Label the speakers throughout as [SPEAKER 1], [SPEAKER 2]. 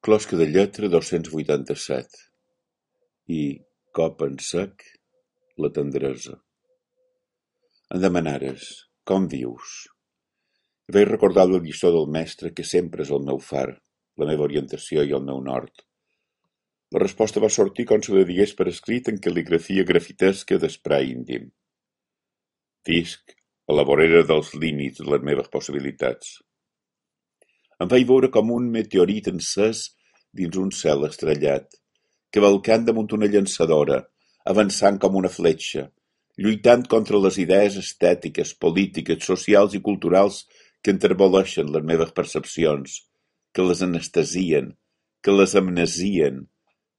[SPEAKER 1] Closca de lletra 287 i, cop en sec, la tendresa. Em demanares, com vius? I vaig recordar la lliçó del mestre que sempre és el meu far, la meva orientació i el meu nord. La resposta va sortir com si la digués per escrit en cal·ligrafia grafitesca d'esprai índim. Visc a la vorera dels límits de les meves possibilitats. Em vaig veure com un meteorit encès dins un cel estrellat, cavalcant damunt una llançadora, avançant com una fletxa, lluitant contra les idees estètiques, polítiques, socials i culturals que enterboleixen les meves percepcions, que les anestesien, que les amnesien,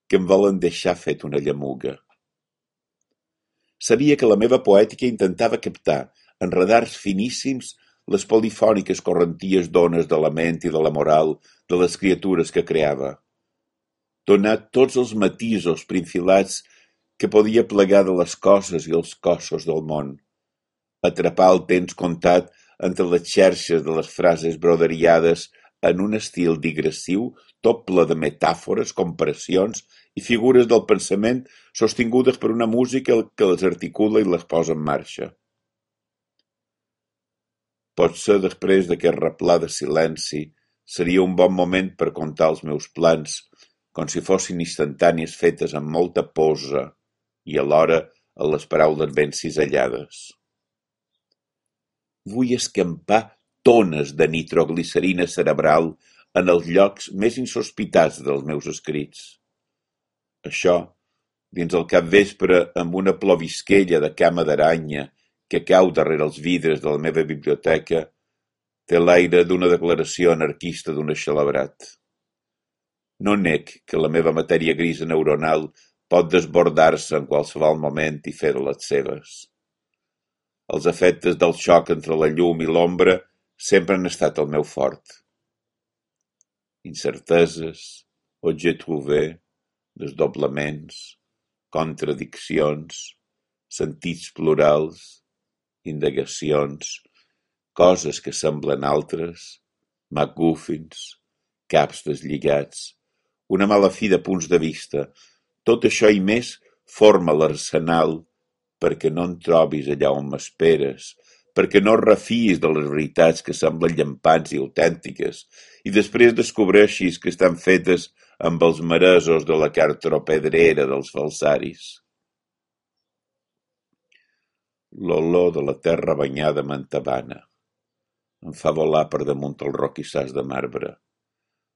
[SPEAKER 1] que em volen deixar fet una llamuga. Sabia que la meva poètica intentava captar, en radars finíssims, les polifòniques correnties d'ones de la ment i de la moral de les criatures que creava. Donar tots els matisos prinfilats que podia plegar de les coses i els cossos del món. Atrapar el temps comptat entre les xerxes de les frases broderiades en un estil digressiu tot ple de metàfores, comparacions i figures del pensament sostingudes per una música que les articula i les posa en marxa. Potser després d'aquest replà de silenci seria un bon moment per contar els meus plans, com si fossin instantànies fetes amb molta posa i alhora a les paraules ben cisellades. Vull escampar tones de nitroglicerina cerebral en els llocs més insospitats dels meus escrits. Això, dins el capvespre amb una plovisquella de cama d'aranya que cau darrere els vidres de la meva biblioteca, té l'aire d'una declaració anarquista d'un eixelebrat. No nec que la meva matèria grisa neuronal pot desbordar-se en qualsevol moment i fer de les seves. Els efectes del xoc entre la llum i l'ombra sempre han estat el meu fort. Incerteses, objet trouvé, desdoblaments, contradiccions, sentits plurals, indagacions, coses que semblen altres, MacGuffins, caps deslligats, una mala fi de punts de vista, tot això i més forma l'arsenal perquè no en trobis allà on m'esperes, perquè no refiïs de les veritats que semblen llampants i autèntiques i després descobreixis que estan fetes amb els maresos de la cartropedrera dels falsaris. L'olor de la terra banyada m'entabana. Em fa volar per damunt el roquissars de marbre.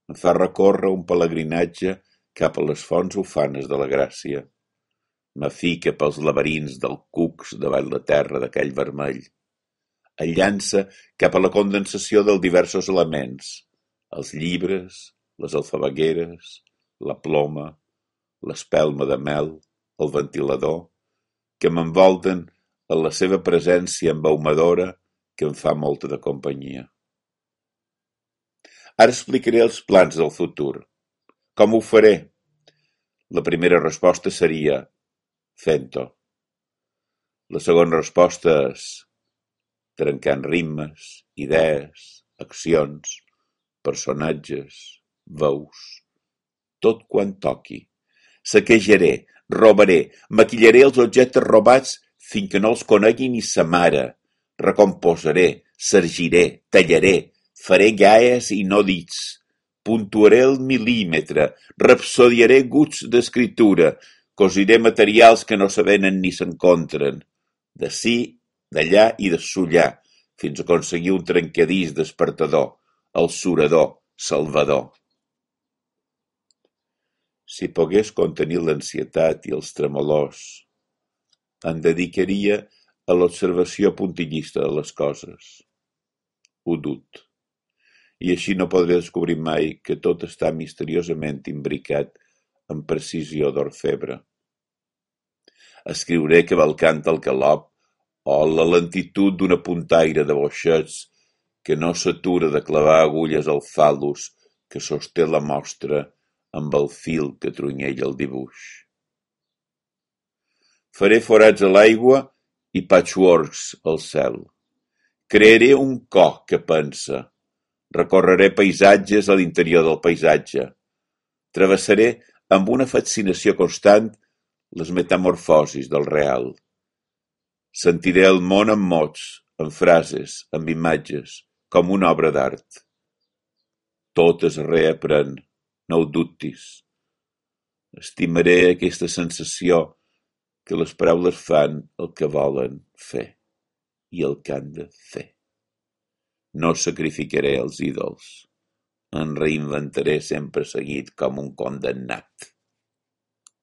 [SPEAKER 1] Em fa recórrer un pelegrinatge cap a les fonts ufanes de la gràcia. M'afica pels laberints del cucs davall la terra d'aquell vermell. El llança cap a la condensació dels diversos elements, els llibres, les alfabegueres, la ploma, l'espelma de mel, el ventilador, que m'envolten en la seva presència embaumadora que em fa molta de companyia. Ara explicaré els plans del futur. Com ho faré? La primera resposta seria fent-ho. La segona resposta és trencant ritmes, idees, accions, personatges, veus, tot quan toqui. Saquejaré, robaré, maquillaré els objectes robats fins que no els conegui ni sa mare. Recomposaré, sargiré, tallaré, faré gaies i no dits, puntuaré el mil·límetre, rapsodiaré guts d'escriptura, cosiré materials que no s'avenen ni s'encontren, d'ací, d'allà i de sullar, fins a aconseguir un trencadís despertador, el surador, salvador. Si pogués contenir l'ansietat i els tremolors, em dedicaria a l'observació puntillista de les coses. Ho dut. I així no podré descobrir mai que tot està misteriosament imbricat amb precisió d'orfebre. Escriuré cavalcant el galop o la lentitud d'una puntaire de boixets que no s'atura de clavar agulles al fal·lus que sosté la mostra amb el fil que trunyella el dibuix. Faré forats a l'aigua i patchworks al cel. Crearé un cor que pensa. Recorreré paisatges a l'interior del paisatge. Travessaré amb una fascinació constant les metamorfosis del real. Sentiré el món amb mots, amb frases, amb imatges, com una obra d'art. Tot es reaprèn, no ho dubtis. Estimaré aquesta sensació que les paraules fan el que volen fer i el que han de fer. No sacrificaré els ídols. Em reinventaré sempre seguit com un condemnat.